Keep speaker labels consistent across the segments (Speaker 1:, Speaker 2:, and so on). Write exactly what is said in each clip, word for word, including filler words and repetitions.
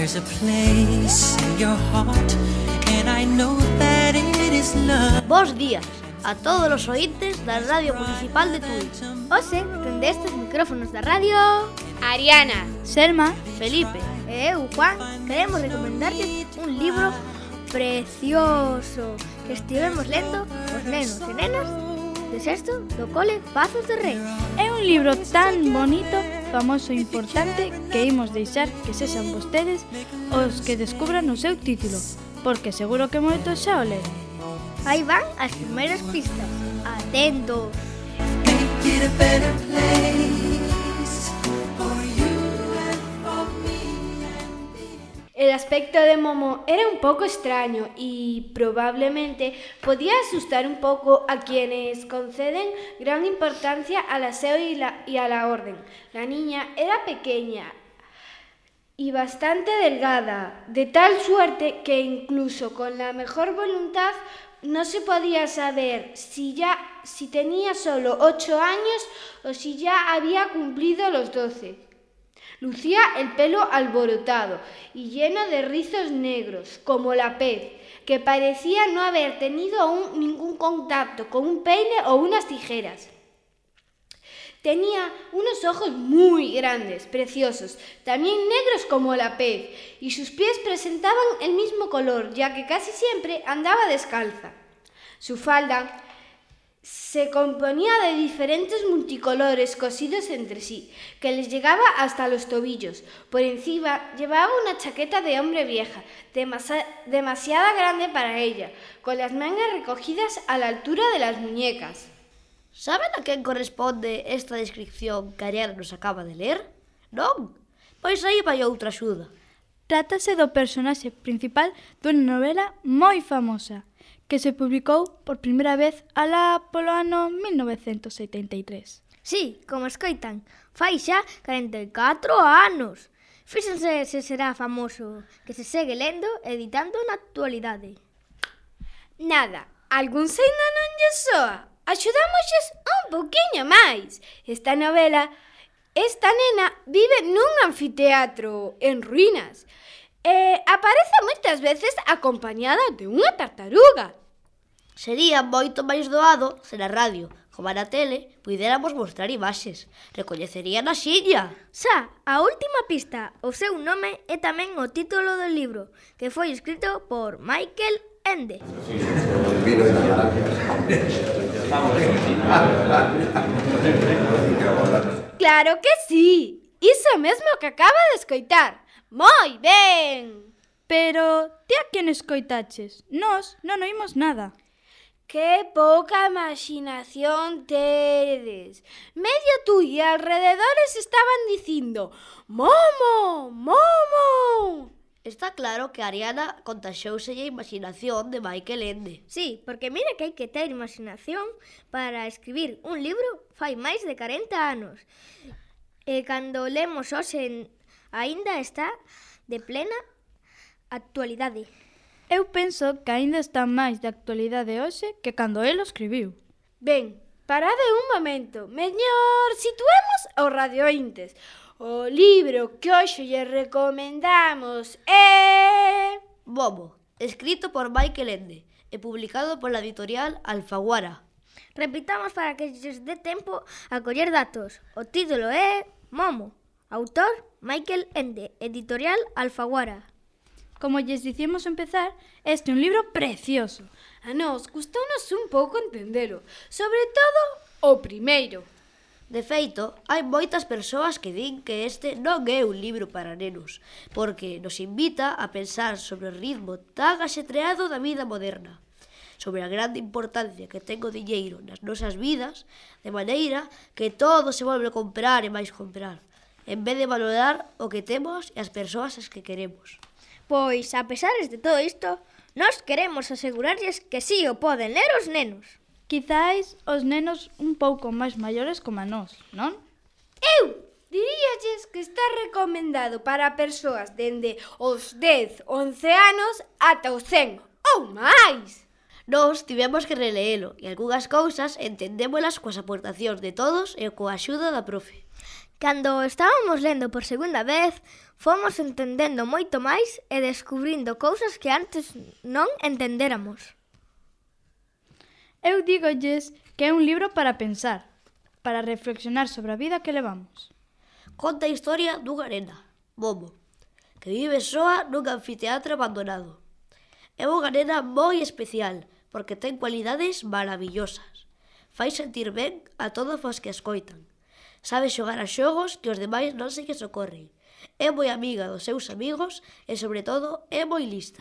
Speaker 1: There's a place in your heart, and I know that it is love.
Speaker 2: Bos días a todos os ointes da Radio Municipal de Tui.
Speaker 3: Ose, dende estes micrófonos da radio,
Speaker 4: Ariana,
Speaker 3: Selma,
Speaker 2: Felipe
Speaker 3: e eu, Juan, queremos recomendarles un libro precioso que estivemos lendo os nenos e nenas de sexto do cole Pazos de Rei.
Speaker 5: É un libro tan bonito, famoso e importante que imos deixar que sexan vostedes os que descubran o seu título, porque seguro que moitos xa o leron.
Speaker 3: Aí van as primeiras pistas. Atentos!
Speaker 1: Make it a better place for you and for me and me.
Speaker 4: el aspecto de Momo era un poco extraño y probablemente podía asustar un poco a quienes conceden gran importancia al aseo y, la, y a la orden. La niña era pequeña y bastante delgada, de tal suerte que incluso con la mejor voluntad no se podía saber si ya si tenía solo ocho años o si ya había cumplido los doce. Lucía el pelo alborotado y lleno de rizos negros, como la pez, que parecía no haber tenido aún ningún contacto con un peine o unas tijeras. Tenía unos ojos muy grandes, preciosos, también negros como la pez, y sus pies presentaban el mismo color, ya que casi siempre andaba descalza. Su falda se componía de diferentes multicolores cosidos entre sí, que les llegaba hasta los tobillos. Por encima llevaba una chaqueta de hombre vieja, demasi- demasiado grande para ella, con las mangas recogidas a la altura de las muñecas.
Speaker 2: Saben a quen corresponde esta descripción que Ariana nos acaba de ler? Non? Pois aí vai outra axuda.
Speaker 5: Trátase do personaxe principal dunha novela moi famosa, que se publicou por primeira vez alá polo ano mil novecentos setenta e tres.
Speaker 3: Sí, como escoitan, fai xa corenta e catro anos. Fíxense se será famoso, que se segue lendo e editando na actualidade.
Speaker 4: Nada, algún seino non lle soa. Axudámosles un pouquiño máis. Esta novela, esta nena vive nun anfiteatro en ruínas e aparece moitas veces acompañada de unha tartaruga.
Speaker 2: Sería moito máis doado se na radio, como na tele, puidéramos mostrar imaxes. Recoñecerían a xiña.
Speaker 3: Xa, a última pista, o seu nome é tamén o título do libro, que foi escrito por Michael Ende.
Speaker 4: Claro que sí, iso mesmo que acaba de escoitar. Moi ben!
Speaker 5: Pero ti a quen escoitaches? Nós non oímos nada.
Speaker 4: Que pouca imaginación tedes. Medio tú e alrededores estaban dicindo Momo, Momo.
Speaker 2: Está claro que Ariana contaxouse a imaginación de Michael Ende.
Speaker 3: Sí, porque mira que hai que ter imaginación para escribir un libro fai máis de corenta anos. E cando lemos hoxe aínda está de plena actualidade.
Speaker 5: Eu penso que aínda está máis de actualidade hoxe que cando el o escribiu.
Speaker 4: Ben, parade un momento. Mellor situemos os radiointes. O libro que hoxe lle recomendamos é...
Speaker 2: Momo, escrito por Michael Ende e publicado pola editorial Alfaguara.
Speaker 3: Repitamos para que lles dé tempo a coller datos. O título é Momo, autor Michael Ende, editorial Alfaguara.
Speaker 5: Como lles dicimos empezar, este é un libro precioso.
Speaker 4: A nós gustounos un pouco entendelo, sobre todo o primeiro.
Speaker 2: De feito, hai moitas persoas que din que este non é un libro para nenos, porque nos invita a pensar sobre o ritmo tan axetreado da vida moderna, sobre a grande importancia que ten o diñeiro nas nosas vidas, de maneira que todo se volve comprar e máis comprar, en vez de valorar o que temos e as persoas as que queremos.
Speaker 3: Pois, a pesares de todo isto, nós queremos asegurarlles que sí o poden ler os nenos.
Speaker 5: Quizais os nenos un pouco máis maiores como a nós, non?
Speaker 4: Eu diríalles que está recomendado para persoas dende os dez, once anos ata os cen ou máis.
Speaker 2: Nós tivemos que releelo e algunhas cousas entendémolas coas aportacións de todos e coa axuda da profe.
Speaker 3: Cando estábamos lendo por segunda vez, fomos entendendo moito máis e descubrindo cousas que antes non entendéramos.
Speaker 5: Eu dígolles que é un libro para pensar, para reflexionar sobre a vida que levamos.
Speaker 2: Conta a historia dunha nena, Momo, que vive soa nun anfiteatro abandonado. É unha nena moi especial porque ten cualidades maravillosas. Fai sentir ben a todos os que escoitan. Sabe xogar a xogos que os demais non se lles ocorren. É moi amiga dos seus amigos e, sobre todo, é moi lista.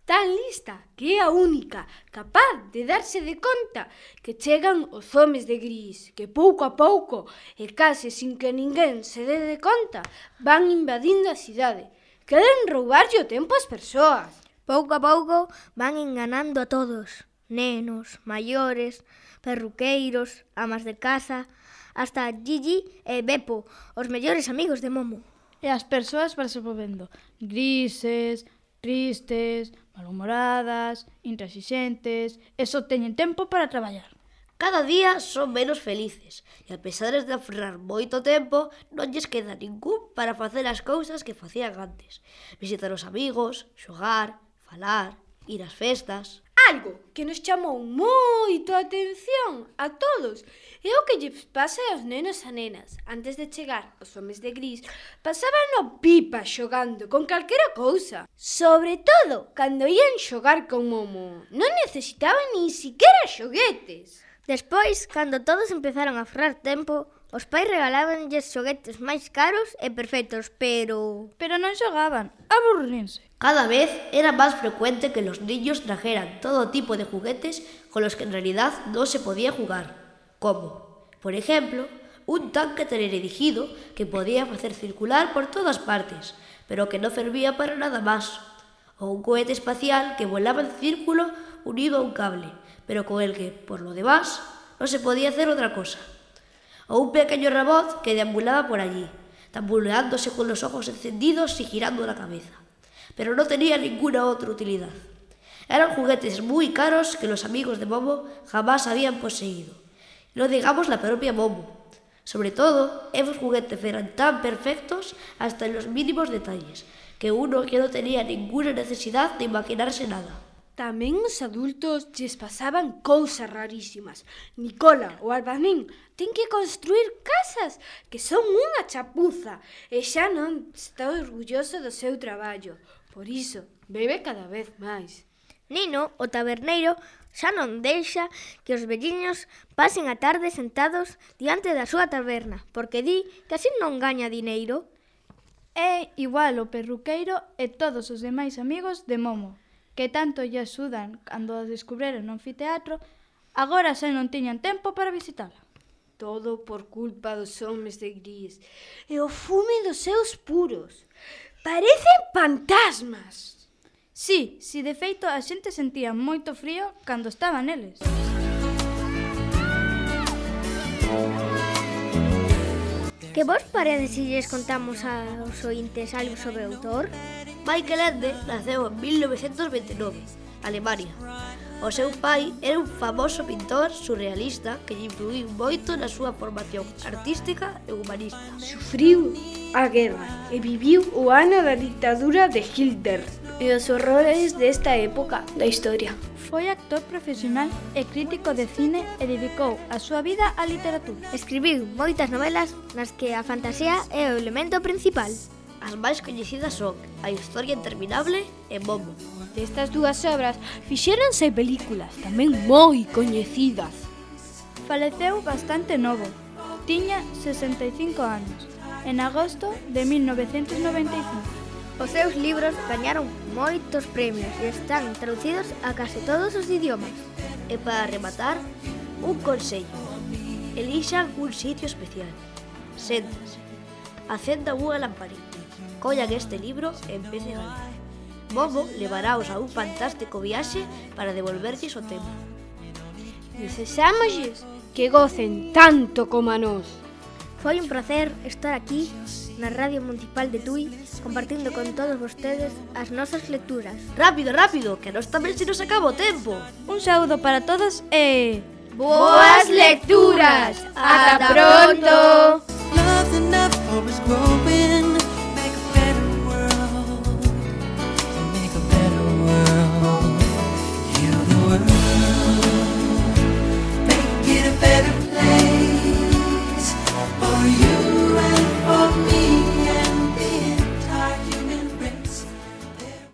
Speaker 4: Tan lista que é a única capaz de darse de conta que chegan os homes de gris, que pouco a pouco e case sin que ninguén se dé de conta van invadindo a cidade. Queren roubarlle o tempo ás persoas.
Speaker 3: Pouco a pouco van enganando a todos. Nenos, maiores, perruqueiros, amas de casa, hasta Gigi e Beppo, os mellores amigos de Momo.
Speaker 5: E as persoas van se volvendo grises, tristes, malhumoradas, intransigentes, e só teñen tempo para traballar.
Speaker 2: Cada día son menos felices e, a pesar de aferrar moito tempo, non lles queda ningún para facer as cousas que facían antes. Visitar os amigos, xogar, falar, ir ás festas.
Speaker 4: Algo que nos chamou moito a atención a todos é o que lles pasa aos nenos e nenas. Antes de chegar os homes de gris, pasaban no pipa xogando con calquera cousa. Sobre todo, cando ían xogar con Momo, non necesitaban nin siquiera xoguetes.
Speaker 3: Despois, cando todos empezaron a aferrar tempo, os pais regalábanlles xoguetes máis caros e perfectos, pero...
Speaker 5: Pero non xogaban, aburrírense.
Speaker 2: Cada vez era más frecuente que los niños trajeran todo tipo de juguetes con los que en realidad no se podía jugar, como, por ejemplo, un tanque teledirigido que podía hacer circular por todas partes, pero que no servía para nada más, o un cohete espacial que volaba en círculo unido a un cable, pero con el que, por lo demás, no se podía hacer otra cosa, o un pequeño robot que deambulaba por allí, tambuleándose con los ojos encendidos y girando la cabeza, pero no tenía ninguna otra utilidad. Eran juguetes muy caros que los amigos de Momo jamás habían poseído. No digamos la propia Momo. Sobre todo, esos juguetes eran tan perfectos hasta en los mínimos detalles, que uno que no tenía ninguna necesidad de imaginarse nada.
Speaker 4: Tamén os adultos lles pasaban cousas rarísimas. Nicola, o albanín, ten que construir casas que son unha chapuza e xa non está orgulloso do seu traballo. Por iso, bebe cada vez máis.
Speaker 3: Nino, o taberneiro, xa non deixa que os velliños pasen a tarde sentados diante da súa taberna, porque di que así non gaña dineiro.
Speaker 5: É igual o perruqueiro e todos os demais amigos de Momo, que tanto lle axudan cando descubriron no anfiteatro, agora xa non tiñan tempo para visitala.
Speaker 4: Todo por culpa dos homes de gris e o fume dos seus puros. Parecen fantasmas.
Speaker 5: Sí, si de feito a xente sentía moito frío cando estaba neles.
Speaker 3: Que vos parece se lles contamos aos ointes algo sobre o autor?
Speaker 2: Michael Ende naceu en mil novecientos veintinueve, Alemania. O seu pai era un famoso pintor surrealista que lle influiu moito na súa formación artística e humanista.
Speaker 4: Sufriu a guerra e viviu o ano da dictadura de Hitler e os horrores desta época da historia.
Speaker 5: Foi actor profesional e crítico de cine e dedicou a súa vida á literatura.
Speaker 3: Escribiu moitas novelas nas que a fantasía é o elemento principal.
Speaker 2: As máis coñecidas son A historia interminable e Momo.
Speaker 4: Destas dúas obras fixéronse películas tamén moi coñecidas.
Speaker 5: Faleceu bastante novo, tiña sesenta e cinco anos, en agosto de mil novecentos noventa e cinco.
Speaker 3: Os seus libros gañaron moitos premios e están traducidos a case todos os idiomas.
Speaker 2: E para rematar, un consello. Elixan un sitio especial. Séntense. Acendan unha lamparita. Collan este libro e empecen a ler. Momo levaráos a un fantástico viaxe para devolverlles o tempo.
Speaker 4: Desesámoslles que gocen tanto como a nós.
Speaker 3: Foi un placer estar aquí na Radio Municipal de Tui compartindo con todos vostedes as nosas lecturas.
Speaker 2: Rápido, rápido, que a nós tamén se nos acaba o tempo.
Speaker 5: Un saúdo para todos e...
Speaker 4: ¡Boas lecturas! ¡Ata pronto!